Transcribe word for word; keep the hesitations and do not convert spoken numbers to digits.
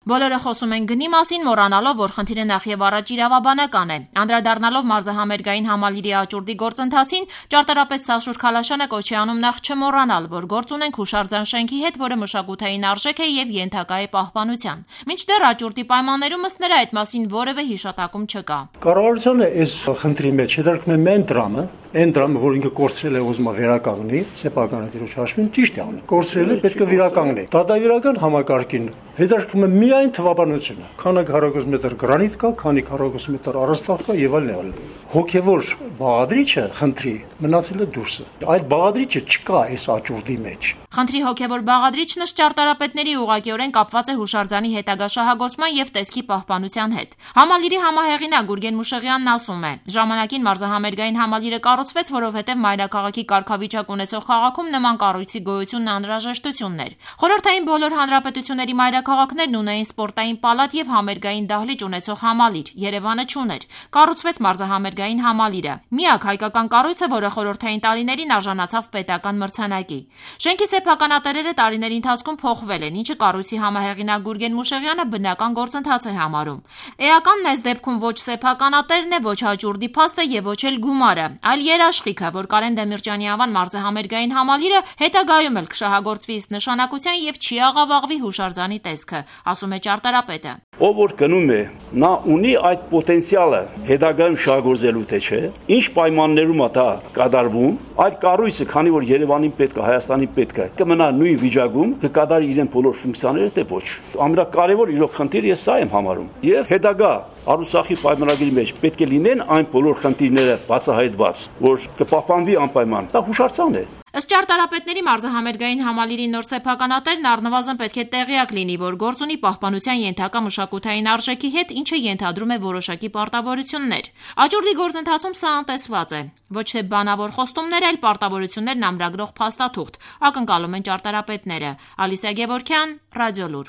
Բոլորը խոսում են գնի մասին, մոռանալով, որ խնդիրը նախ եւ առաջ իրավաբանական է։ Անդրադառնալով մարզահամերգային համալիրի աճուրդի գործընթացին, ճարտարապետ Սաշուր Քալաշյանը կոչ է անում նախ չմոռանալ, որ գործ ունենք հուշարձան շենքի հետ, որը մշակութային արժեք է եւ ենթակա է պահպանության։ Մինչդեռ աճուրդի պայմաններում ըստ նրա այդ մասին որևէ հիշատակում չկա։ Կառավարությունը այս խնդրի մեջ հետաքրքրում է մեն դրամը, այն դրամը, որ ինքը կորցրել է ուզում վերականգնի, սեփականատիրոջ հաշվին ճիշտ է անում։ Կորցրել է, պետք է վերականգնի։ Դատավիրական համակարգին հետաքրքրում է միայն թվաբանությունը։ Քանի քառակուսի մետր գրանիտ կա, քանի քառակուսի մետր առաստաղ կա եւ այլն այլն։ Հոգեվոր բաղադրիչը խնդրի մնացել է դուրսը։ Այդ բաղադրիչը չկա այս աճուրդի մեջ։ Խնդրի հոգեվոր բաղադրիչն ըստ ճարտարապետների ուղղակիորեն կապված է հուշարձանի հետագա շահագործման եւ տեսքի պահպանության հետ։ Համալիրի համահեղինակ Գուրգեն Մուշեղյանն ասում է. ժամանակին մարզահամերգային համալիրը կառուցվեց, որովհետեւ մայրաքաղաքի կարգավիճակ ունեցող քաղաքում նման կառույցի գոյությունն անհրաժեշտությունն էր։ Խորհրդային բոլոր հանրապետությունների մայրաքաղաքներն ունեին սպորտային պալատ եւ համերգային դահլիճ ունեցող համալիր, Երևանը չուներ։ Կառուցվեց մարզահամերգային համալիրը, միակ հայկական կառույցը, որը խորհրդային տարիներին արժանացավ պետական մրցանակի։ Շենքի սեփականատերերը տարիների ընթացքում փոխվել են, ինչը կառույցի համահեղինակ Գուրգեն Մուշեղյանը բնական գործընթաց է համարում։ Էականն այս դեպքում ոչ սեփականատերն է, ոչ աճուրդի փաստը եւ ոչ էլ գումարը, այլ երաշխիքը, որ Կարեն Դեմիրճյանի անվան մարզահամերգային համալիրը հետագայում էլ կշահագործվի ըստ նշանակության եւ չի աղավաղվի հուշարձանի տեսքը, ասում է ճարտարապետը։ Ով որ գնում է, նա ունի այդ պոտենցիալը հետագայում շահագործելու թե չէ, ինչ պայմաններում է դա կատարվում, այդ կառույցը, քանի որ Երևանին պետք է, Հայաստանին պետք է, կմնա նույն վիճակում, կկատարի իրեն բոլոր ֆունկցիաները, թե ոչ։ Ամենակարևոր իրոք խնդիրը ես սա եմ համարում։ Եվ հետագա Արցախի պայմանագրի մեջ պետք է լինեն այն բոլոր խնդիրները բացահայտված, որ կպահպանվի անպայման։ Դա հուշարձան է։ Ըստ ճարտարապետների մարզահամերգային համալիրի նոր սեփականատերն առնվազն պետք է տեղյակ լինի, որ գործ ունի պահպանության ենթակա մշակութային արժեքի հետ, ինչը ենթադրում է որոշակի պարտավորություններ։ Աճուրդի գործընթացում սա անտեսված է։ Ոչ թե բանավոր խոստումներ, այլ պարտավորություններն ամրագրող փաստաթուղթ, ակնկալում են ճարտարապետները։ Ալիսա Գևորգյան, Ռադիոլուր։